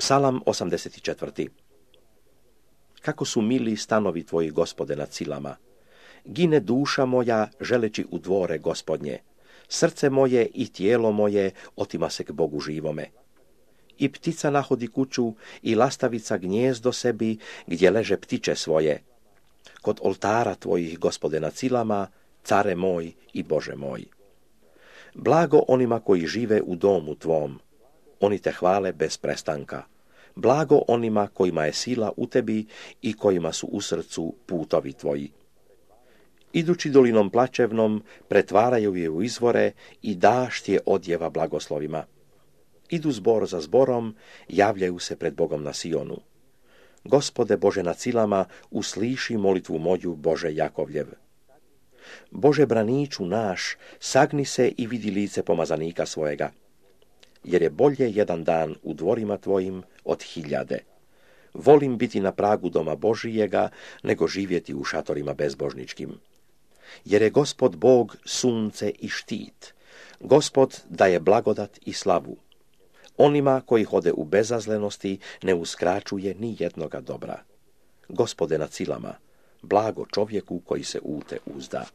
Psalam 84. Kako su mili stanovi tvoji, Gospode, nad silama. Gine duša moja želeći u dvore Gospodnje. Srce moje i tijelo moje otima se k Bogu živome. I ptica nahodi kuću i lastavica gnjezdo sebi gdje leže ptiče svoje. Kod oltara tvojih, Gospode, nad silama, care moj i Bože moj. Blago onima koji žive u domu tvom. Oni te hvale bez prestanka. Blago onima kojima je sila u tebi i kojima su u srcu putovi tvoji. Idući dolinom plačevnom, pretvaraju je u izvore i dašt je odjeva blagoslovima. Idu zbor za zborom, javljaju se pred Bogom na Sionu. Gospode Bože nad silama, usliši molitvu moju, Bože Jakovljev. Bože braniču naš, sagni se i vidi lice pomazanika svojega. Jer je bolje jedan dan u dvorima tvojim od 1000. Volim biti na pragu doma Božijega, nego živjeti u šatorima bezbožničkim. Jer je Gospod Bog sunce i štit. Gospod daje blagodat i slavu. Onima koji hode u bezazlenosti ne uskraćuje ni jednoga dobra. Gospode nad silama, blago čovjeku koji se u te uzda.